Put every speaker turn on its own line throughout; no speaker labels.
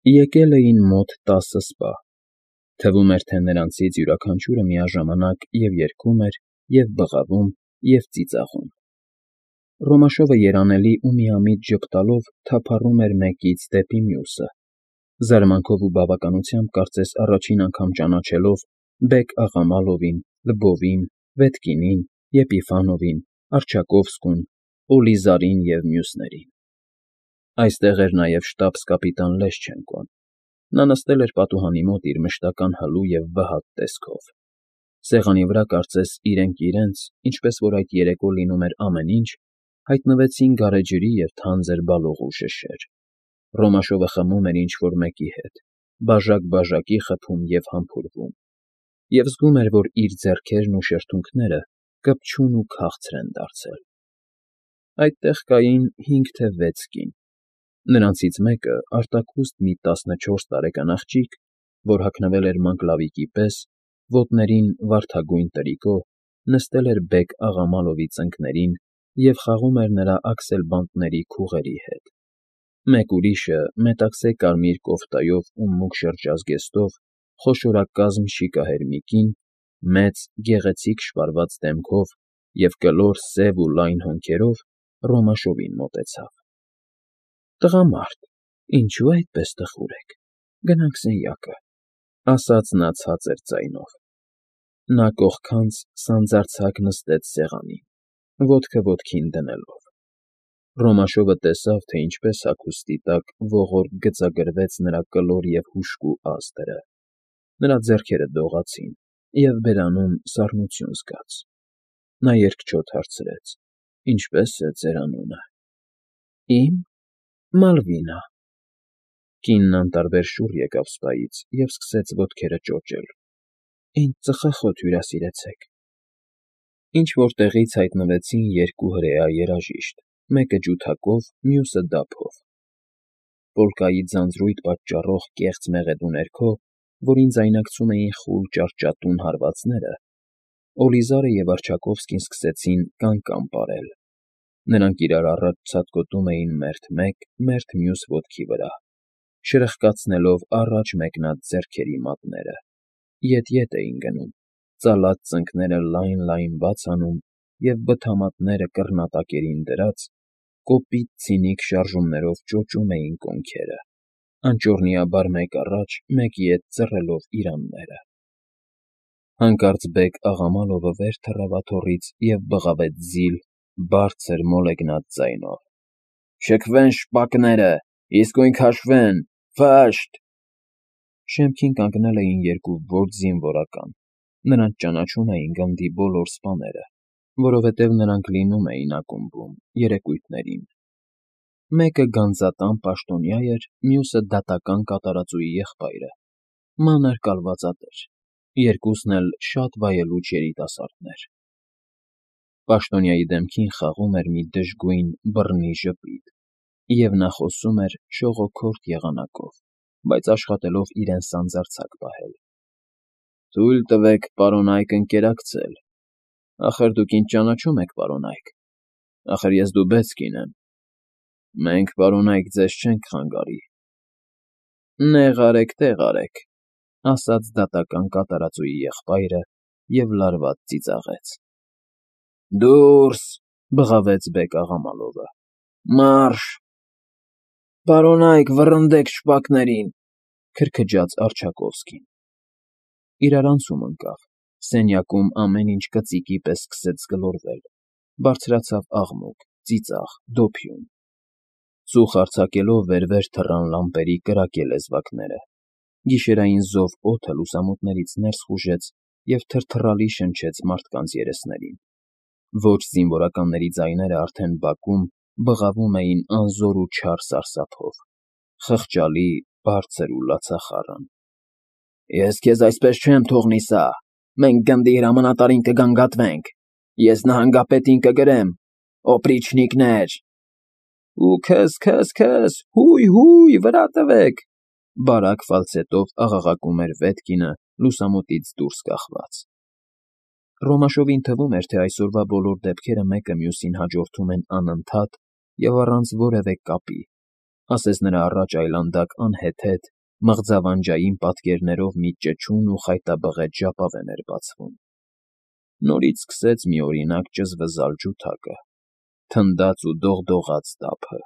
Եկել էին մոտ 10 սպա, թվում էր, թե նրանցից յուրաքանչյուրը միաժամանակ և երգում էր, և բղավում, և ծիծաղում. Ռոմաշովը երանելի ու միամիտ ժպտալով թափառում էր մեկից դեպի մյուսը, զարմանքով ու բավականությամբ կարծես առաջին անգամ ճանաչելով Բեկ֊Աղամալովին, Լվովին, Վետկինին, Եպիֆանովին, Առջակովսկուն, Օլիզարին և մյուսներին։ Այստեղ էր նաև շտաբս֊կապիտան Լեշչենկոն. նա նստել էր պատուհանի մոտ իր մշտական հլու և վհատ տեսքով. սեղանի վրա կարծես իրենք իրենց, ինչպես որ այդ երեկո լինում էր ամեն ինչ, հայտնվեցին գարեջրի և թանձր բալողու շշեր. Ռոմաշովը խմում էր ինչ֊որ մեկի հետ, բաժակ֊բաժակի խփում և համբուրվում, և զգում էր, որ իր ձեռքերն ու շրթունքները կպչուն ու քաղցր են դարձել։ Այդտեղ կային 5 թե 6 կին. նրանցից մեկը, արտաքուստ մի 14 տարեկան աղջիկ, որ հագնվել էր մանգլավիկի պես, ոտներին վարդագույն տրիկո, նստել էր Բեկ֊Աղամալովի ծնկներին և խաղում էր նրա աքսելբանտների քուղերի հետ. մեկ ուրիշը, մետաքսե կարմիր կոֆտայով ու մուգ շրջազգեստով, խոշորակազմ շիկահեր մի կին, մեծ, գեղեցիկ շվարված դեմքով և կլոր սև ու լայն հոնքերով Ռոմաշովին մոտեցավ։ ֊ Տղամարդ, ինչո՞ւ այդպես տխուր եք, գնանք սենյակը, ֊ ասաց նա ցածր ձայնով։ Նա կողքանց սանձարձակ նստեց սեղանին, ոտքը ոտքին դնելով։ Ռոմաշովը տեսավ, թե ինչպես հագուստի տակ ողորկ գծագրվեց նրա կլոր և հուժկու ազդրը, նրա ձեռքերը դողացին, և բերանում սառնություն զգաց։ Նա երկչոտ հարցրեց. «Ինչպե՞ս է ձեր անունը»։ ֊ Իմ՝ Մալվինա։ Կինն անտարբեր շուռ եկավ սպայից և սկսեց ոտքերը ճոճել։ ֊ Ինձ ծխախոտ հյուրասիրեցեք։ Ինչ֊որ տեղից հայտնվեցին 2 հրեա երաժիշտ, մեկը ջութակով, մյուսը դափով։ Պոլկայի ձանձրույթ պատճառող կեղծ մեղեդու ներքո, որին ձայնակցում էին խուլ ճարճատուն հարվածները, Օլիզարը և Առջակովսկին սկսեցին կան-կան պարել։ Նրանք իրար առաջ ցատկոտում էին մերթ մեկ, մերթ մյուս ոտքի վրա, շրխկացնելով առաջ մեկնած ձեռքերի մատները, ետ֊ետ էին գնում, ծալած ծնկները լայն֊լայն բաց անում և բթամատները կռնատակերին դրած, կոպիտ ցինիկ շարժումներով ճոճում էին կոնքերը, անճոռնիաբար մեկ առաջ, մեկ ետ ծռելով իրանները։ Հանկարծ Բեկ֊Աղամալովը վեր թռավ աթոռից և բղավեց զիլ, բարձր, մոլեգնած ձայնով. «Շքվեն շպակները, իսկույն քաշվեն, ֆը՜շտ»։ Շեմքին կանգնել էին 2 ոչ զինվորական. նրանց ճանաչում էին գնդի բոլոր սպաները, որովհետև նրանք լինում էին ակումբում, երեկույթներին։ Մեկը գանձատան պաշտոնյա էր, մյուսը դատական կատարածուի եղբայրը, մանր կալվածատեր, երկուսն էլ շատ վայելուչ երիտասարդներ։ Պաշտոնյայի դեմքին խաղում էր մի դժգույն բռնի ժպիտ, և նա խոսում էր շողոքորթ եղանակով, բայց աշխատելով իրեն սանձարձակ պահել։ ֊ Թույլ տվեք, պարոն Այկ, ընկերակցել։ Ախր դուք ինձ ճանաչում եք, պարոն Այկ, ախր ես Դուբեցկին եմ։ Մենք, պարոն Այկ, ձեզ չենք խանգարի։ ֊ Նեղ արեք, տեղ արեք, ֊ ասաց դատական կատարածուի եղբայրը և լարված ծիծաղեց։ ֊ Դուրս, ֊ բղավեց Բեկ֊Աղամալովը։ ֊ Մարշ։ ֊ Պարոն Այկ, վռնդեք շպակներին, ֊ քրքջաց Առջակովսկին։ Իրարանցում ընկավ, սենյակում ամեն ինչ կծիկի պես սկսեց գլորվել, բարձրացավ աղմուկ, ծիծաղ, դոփյուն։ Ծուխ արձակելով վեր֊վեր թռան լամպերի կրակե լեզվակները, գիշերային զով օդը լուսամուտներից ներս խուժեց և թրթռալի շնչեց մարդկանց երեսներին։ Ոչ զինվորականների ձայները արդեն բակում, բղավում էին անզոր ու չար սարսափով, խղճալի, բարձր ու լացախառն։ ֊ Ես քեզ այսպես չեմ թողնի սա, մենք գնդի հրամանատարին կգանգատվենք, ես նահանգապետին կգրեմ, օպրիչնիկներ… ֊ Ու քըզ, հույ, վրա տվեք, ֊ բարակ ֆալցետով աղաղակում էր Վետկինը լուսամուտից դուրս կախված։ Ռոմաշովին թվում էր, թե այսօրվա բոլոր դեպքերը մեկը մյուսին հաջորդում են անընդհատ և առանց որևէ կապի, ասես նրա առաջ այլանդակ անհեթեթ, մղձավանջային պատկերներով մի ճչուն ու խայտաբղետ ժապավեն էր բացվում։ Նորից սկսեց միօրինակ ճզվզալ ջութակը, թնդաց ու դողդողաց տափը,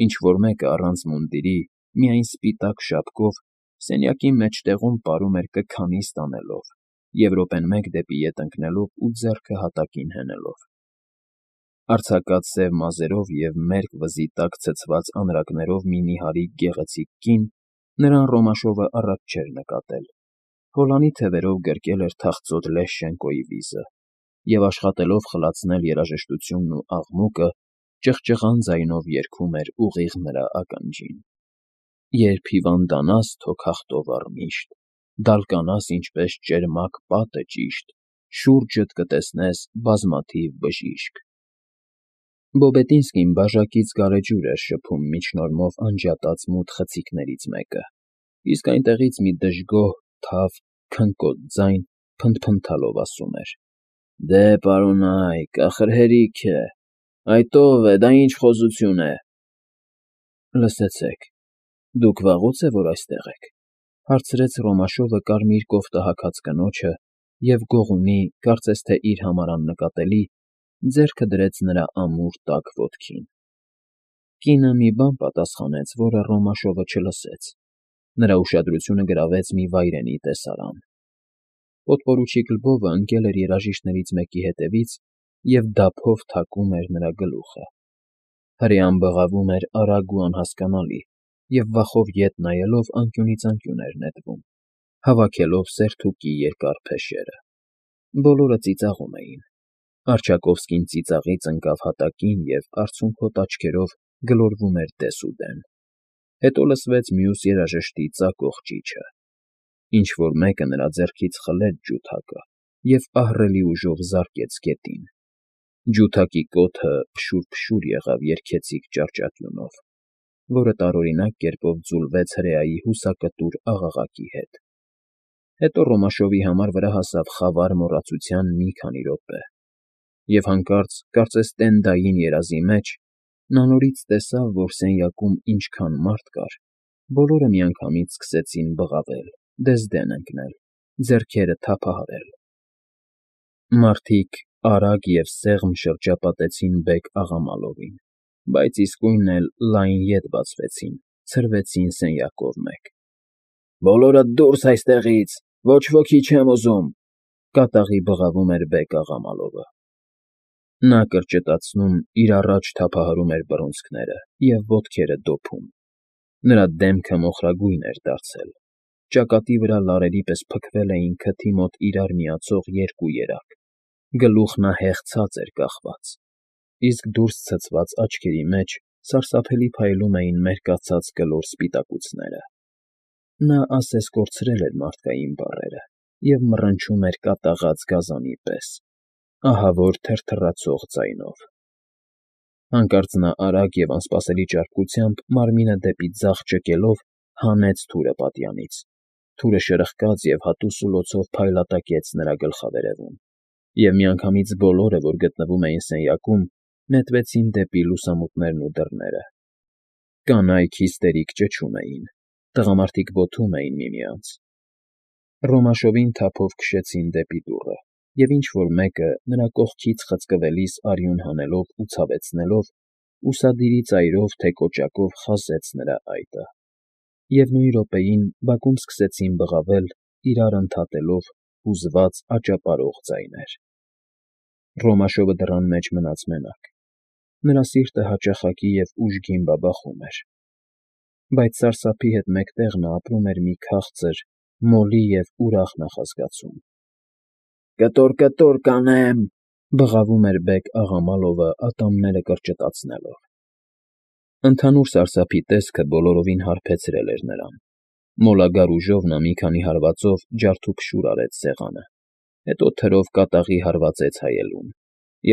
ինչ-որ մեկը առանց մունդիրի, միայն սպիտակ շապկով, սենյակի մեջտեղում պարում էր կքանի ստանելով և րոպեն մեկ դեպի ետ ընկնելով ու ձեռքը հատակին հենելով։ Արձակած սև մազերով և մերկ վզի տակ ցցված անրակներով մի նիհարիկ գեղեցիկ կին նրան Ռոմաշովը առաջ չէր նկատել, հոլանի թևերով գրկել էր թախծոտ Լեշչենկոյի վիզը և աշխատելով խլացնել երաժշտությունն ու աղմուկը, ճղճղան ձայնով երգում էր ուղիղ նրա ականջին. Երբ հիվանդանաս թո քախտով առմիշտ, դալկանաս ինչպես ճերմակ պատը ճիշտ, շուրջդ կտեսնես բազմաթիվ բժիշկ։ Բոբետինսկին բաժակից գարեջուր էր շփում միջնորմով անջատած մութ խցիկներից մեկը, իսկ այնտեղից մի դժգոհ, թավ, քնկոտ ձայն փնթփնթալով ասում էր. «Դե, պարոնայք, ախր հերիք է, այդ ո՞վ է, դա ինչ խոզություն է»։ Լսեցեք, դուք վաղո՞ց է որ այստեղ եք, հարցրեց Ռոմաշովը կարմիր կոֆտը հագած կնոջը և գողունի, կարծես թե իր համար աննկատելի, ձեռքը դրեց նրա ամուր տաք ոտքին։ Կինը մի բան պատասխանեց, որը Ռոմաշովը չլսեց։ Նրա ուշադրությունը գրավեց մի վայրենի տեսարան։ Պոդպորուչիկ Լվովը ընկել էր երաժիշտներից մեկի հետևից և դափով թակում էր նրա գլուխը։ Հրեան բղավում էր արագ ու անհասկանալի և վախով ետ նայելով անկյունից անկյուն էր նետվում, հավաքելով սերթուկի երկար փեշերը։ Բոլորը ծիծաղում էին։ Արչակովսկին ծիծաղից ընկավ հատակին և արցունքոտ աչքերով գլորվում էր դեսուդեն։ Հետո լսվեց մյուս երաժշտի ծակող ճիչը։ Ինչ֊որ մեկը նրա ձեռքից խլեց ջութակը և ահռելի ուժով զարկեց գետին։ Ջութակի կոթը փշուր-փշուր եղավ երգեցիկ ճառճատյունով, որը տարօրինակ կերպով ձուլվեց հրեայի հուսակտուր աղաղակի հետ։ Հետո Ռոմաշովի համար վրա հասավ խավար մոռացության մի քանի րոպե, և հանկարծ, կարծես տենդային երազի մեջ, նա նորից տեսավ, որ սենյակում ինչքան մարդ կար, բոլորը միանգամից սկսեցին բղավել, դեզդեն ընկնել, ձեռքերը թափահարել։ Մարդիկ արագ և սեղմ շրջապատեցին Բեկ֊Աղամալովին, բայց իսկույն էլ լայն ետ բացվեցին, ցրվեցին սենյակով մեկ։ «Բոլորդ դուրս այստեղից, ոչ ոքի չեմ ուզում», կատաղի բղավում էր Բեկ֊Աղամալովը։ Նա կրճտացնում, իր առաջ թափահարում էր բռունցքները և ոտքերը դոփում։ Նրա դեմքը մոխրագույն էր դարձել, ճակատի վրա լարերի պես փքվել էին քթի մոտ իրար միացող երկու երակ, գլուխն ահեղ ցած էր կախված, իսկ դուրս ցցված աչքերի մեջ սարսափելի փայլում էին մերկացած կլոր սպիտակուցները։ Նա ասես կորցրել էր մարդկային բառերը և մռնչում էր կատաղած գազանի պես, ահավոր թրթռացող ձայնով։ Հանկարծ նա արագ և անսպասելի ճարպկությամբ մարմինը դեպի ձախ ճկելով հանեց թուրը պատյանից, թուրը շրխկաց և հատու սուլոցով փայլատակեց նրա գլխավերևում, և միանգամից բոլորը, որ գտնվում էին սենյակում, նետվեցին դեպի լուսամուտներն ու դռները։ Կանայք հիստերիկ ճչում էին, տղամարդիկ բոթում էին միմյանց։ Ռոմաշովին թափով քշեցին դեպի դուռը, և ինչ֊որ մեկը, նրա կողքից խցկվելիս արյուն հանելով ու ցավեցնելով, ուսադիրի ծայրով թե կոճակով խազեց նրա այտը։ Եվ նույն րոպեին բակում սկսեցին բղավել, իրար ընդհատելով, հուզված աճապարող ձայներ։ Ռոմաշովը դռան մեջ մնաց մենակ։ Նրա սիրտը հաճախակի և ուժգին բաբախում էր, բայց սարսափի հետ մեկտեղ նա ապրում էր մի քաղցր, մոլի և ուրախ նախազգացում։ «Կտոր, կանեմ», բղավում էր Բեկ֊Աղամալովը ատամները կրճտացնելով։ Ընդհանուր սարսափի տեսքը բոլորովին հարբեցրել էր նրան։ Մոլագար ուժով նա մի քանի հարվածով ջարդուփշուր արեց սեղանը, հետո թրով կատաղի հարվածեց հայելուն,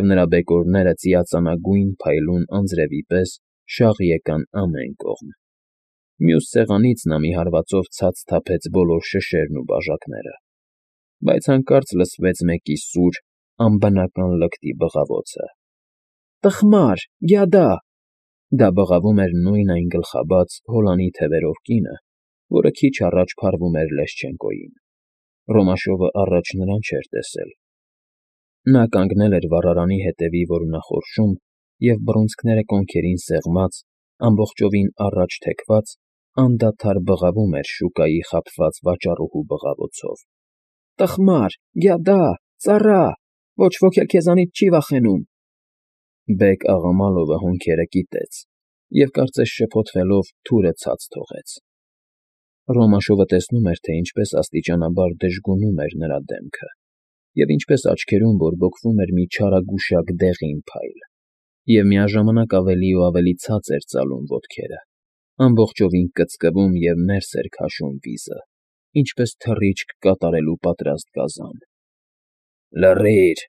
և նրա բեկորները ծիածանագույն փայլուն անձրևի պես շաղ եկան ամեն կողմ։ Մյուս սեղանից նա մի հարվածով ցած թափեց բոլոր շշերն ու բաժակները, բայց հանկարծ լսվեց մեկի սուր, անբնական լկտի բղավոցը։ «Տխմար, գյադա»։ Դա բղավում էր նույն այն գլխաբաց, հոլանի թևերով կինը, որը քիչ առաջ փարվում էր Լեշչենկոյին։ Ռոմաշովը առաջ նրան չէր տեսել։ Նա կանգնել էր վառարանի հետևի որոնախորշում և բռունցքները կոնքերին սեղմած, ամբողջովին առաջ թեքված, անդադար բղավում էր շուկայի խաբված վաճառուհու բղավոցով. «Տխմար, գյադա, ծառա, ոչ ոք էլ քեզանից չի վախենում»։ Բեկ-Աղամալովը հոնքերը կիտեց և, կարծես շփոթվելով, թուրը ցած թողեց։ Ռոմաշովը տեսնում էր, թե ինչպես աստիճանաբար դժգունում էր նրա դեմքը, և ինչպես աչքերում բորբոքվում էր մի չարագուշակ դեղին փայլ, և միաժամանակ ավելի ու ավելի ցած էր ծալում ոտքերը, ամբողջովին կծկվում և ներս էր քաշում վիզը, ինչպես թռիչք կատարելու պատրաստ գազան։ «Լռի՛ր,֊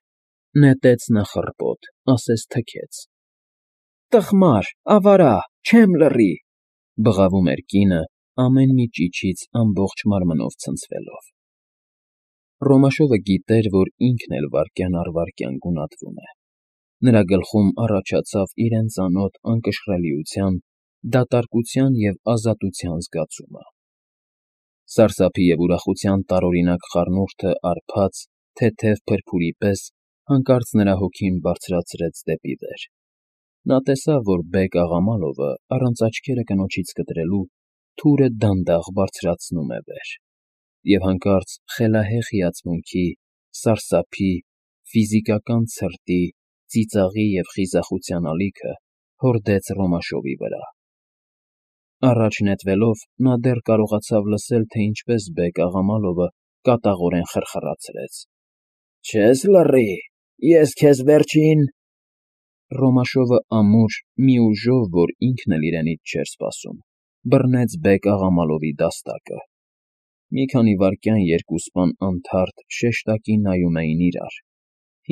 նետեց նա խռպոտ, ասես թքեց։ «Տխմար, ավարա, չեմ լռի»,֊ բղավում էր կինը, ամեն մի ճիչից ամբողջ մարմնով ցնցվելով։ Ռոմաշովը գիտեր, որ ինքն էլ վայրկյան առ վայրկյան գունատվում է։ Նրա գլխում առաջացավ իրեն ծանոթ անկշռելիության, դատարկության և ազատության զգացումը։ Սարսափի և ուրախության տարօրինակ խառնուրդը արբաց, թեթև փրփուրի պես հանկարծ նրա հոգին բարձրացրեց դեպի վեր։ Նա տեսավ, որ Բեկ-Աղամալովը, առանց աչքերը կնոջից կտրելու, թուրը դանդաղ բարձրացնում է վեր, և հանկարծ խելահեղ հիացմունքի, սարսափի, ֆիզիկական ցրտի, ծիծաղի և խիզախության ալիքը հորդեց Ռոմաշովի վրա։ Առաջ նետվելով՝ նա դեռ կարողացավ լսել, թե ինչպես Բեկ-Աղամալովը կատաղորեն խրխրացրեց. «Չես լռի, ես քեզ վերջին…»։ Ռոմաշովը ամուր մի ուժով, որ ինքն էլ իրենից չէր սպասում, բռնեց Բեկ-Աղամալովի դաստակը։ Մի քանի վայրկյան երկուսպան անթարթ շեշտակի նայում էին իրար,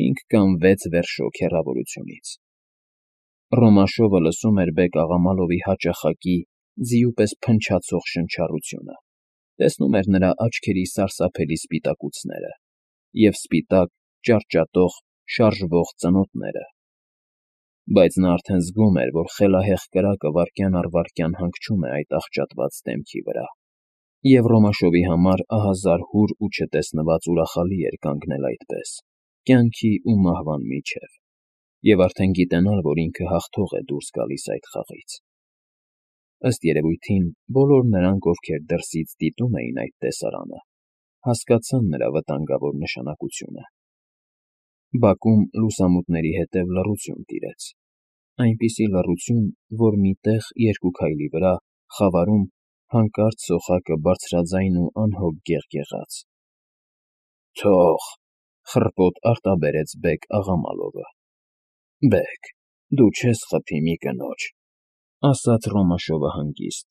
5 կամ 6 վերշոք հեռավորությունից։ Ռոմաշովը լսում էր Բեկ-Աղամալովի հաճախակի, ձիու պես փնչացող շնչառությունը, տեսնում էր նրա աչքերի սարսափելի սպիտակուցները և սպիտակ, ճարճատող, շարժվող ծնոտները։ Բայց նա արդեն զգում էր, որ խելահեղ կրակը վայրկյան առ վայրկյան հանգչում է այդ աղճատված դեմքի վրա, և Ռոմաշովի համար ահա զարհուր ու չտեսնված ուրախալի էր կանգնել այդպես, կյանքի ու մահվան միջև, և արդեն գիտենալ, որ ինքը հաղթող է դուրս գալիս այդ խաղից։ Ըստ երևույթին, բոլոր նրանք, ովքեր դրսից դիտում էին այդ տեսարանը, հասկացան նրա վտանգավոր նշանակությունը։ Բակում լուսամուտների հետև լռություն տիրեց, այնպիսի լռություն, որ մի տեղ, երկու քայլի վրա, խավարում, հանկարծ սոխակը բարձրաձայն ու անհոգ գեղգեղաց։ «Թող,֊ խռպոտ արտաբերեց Բեկ-Աղամալովը։ Բեկ, դու չես խփի մի կնոջ,֊ ասաց Ռոմաշովը հանգիստ։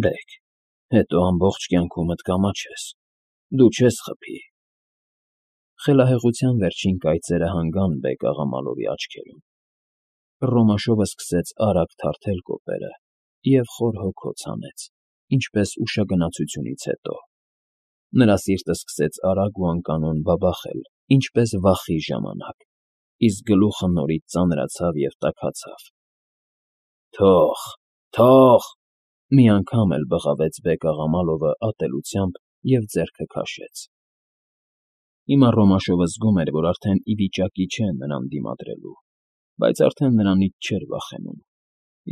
Բեկ, հետո ամբողջ կյանքումդ կամաչես, դու չես խփի։ Խելահեղության վերջին կայծերը հանգան Բեկ-Աղամալովի աչքերում։ Ռոմաշովը սկսեց արագ թարթել կոպերը և խոր հոգոց հանեց, ինչպես ուշագնացությունից հետո։ Նրա սիրտը սկսեց արագ ու անկանոն բաբախել, ինչպես վախի ժամանակ, իսկ գլուխը նորից ծանրացավ և տաքացավ։ «Թող, թող,֊ մի անգամ էլ բղավեց Բեկ-Աղամալովը ատելությամբ և ձեռքը քաշեց։ Հիմա Ռոմաշովը զգում էր, որ արդեն ի վիճակի չէ նրան դիմադրելու, բայց արդեն նրանից չէր վախենում,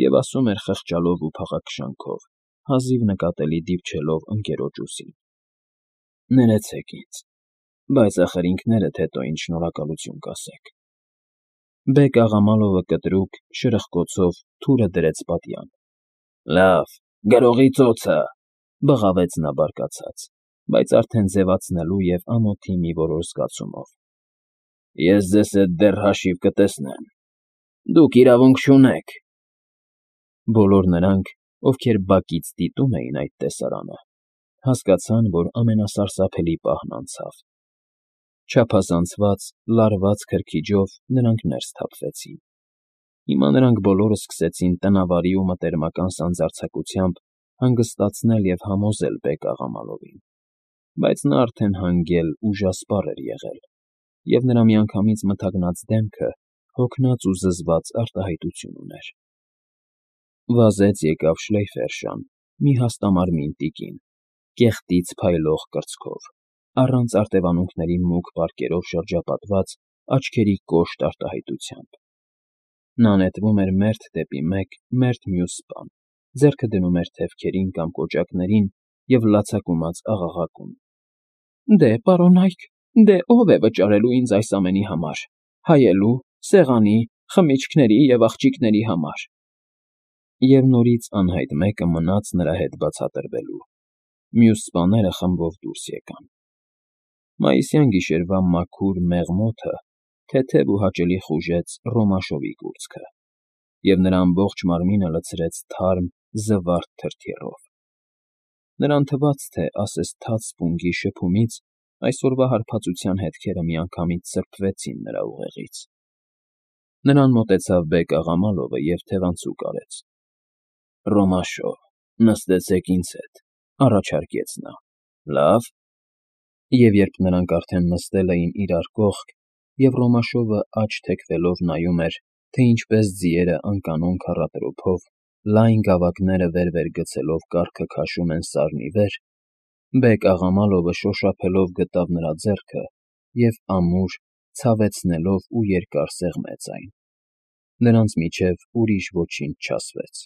և ասում էր խղճալով ու փաղաքշանքով, հազիվ նկատելի դիպչելով ընկերոջ ուսին. «Ներեցեք ինձ, բայց ախր ինքներդ հետո ինձ շնորհակալություն կասեք»։ Բեկ-Աղամալովը կտրուկ, շրխկոցով թուրը դրեց պատյան։ «Լավ, գրողի ծոցը,֊ բղավեց նա բարկացած, բայց արդեն ձևացնելու և ամոթի մի որոշ զգացումով։ Ես ձեզ հետ դեռ հաշիվ կտեսնեմ, դուք իրավունք չունեք»։ Բոլոր նրանք, ովքեր բակից դիտում էին այդ տեսարանը, հասկացան, որ ամենասարսափելի պահն անցավ։ Չափազանցված, լարված քրքիջով նրանք ներս սթափվեցին։ Հիմա նրանք բոլորը սկսեցին տնավարի ու մտերմական սանձարձակությամբ հանգստացնել և համոզել Բեկ-Աղամալովին, բայց նա արդեն հանգել, ուժասպառ էր եղել, և նրա միանգամից մթագնած դեմքը հոգնած ու զզված արտահայտություն ուներ։ Վազեց եկավ Շլեյֆերշան, մի հաստամարմին տիկին, կեղտից փայլող կրծքով, առանց արտևանունքների մուգ պարկերով շրջապատված աչքերի կոշտ արտահայտությամբ։ Նա նետվում էր մերթ դեպի մեկ, մերթ մյուս սպան, ձեռքը դնում էր թևքերին կամ կոճակներին և լացակումած աղաղակում. «Դե, պարոնայք, դե ո՞վ է վճարելու ինձ այս ամենի համար, հայելու, սեղանի, խմիչքների և աղջիկների համար»։ Եվ նորից անհայտ մեկը մնաց նրա հետ բացատրվելու։ Մյուս սպաները խմբով դուրս եկան։ Մայիսյան գիշերվա մաքուր, մեղմ օդը թեթև ու հաճելի խուժեց Ռոմաշովի կուրծքը, և նրա ամբողջ մարմինը լցրեց թարմ, զվարթ թրթիռով։ Նրան թվաց, թե ասես թաց սպունգի շփումից այսօրվա հարբածության հետքերը միանգամից սրբվեցին նրա ուղեղից։ Նրան մոտեցավ Բեկ֊աղամալովը և թևանցուկ արեց։ «Ռոմաշո, նստեցեք ինձ հետ», առաջարկեց նա։ «Լավ»։ Եվ երբ նրանք արդեն նստել էին իրար կողք, և Ռոմաշովը աջ թեքվելով նայում էր, թե ինչպես ձիերը անկանոն քառատրոփով, լայն գավակները վեր֊վեր գցելով կառքը քաշում են սարն ի վեր, Բեկ֊աղամալովը շոշափելով գտավ նրա ձեռքը և ամուր, ցավեցնելով ու երկար սեղմեց այն։ Նրանց միջև ուրիշ ոչինչ չասվեց։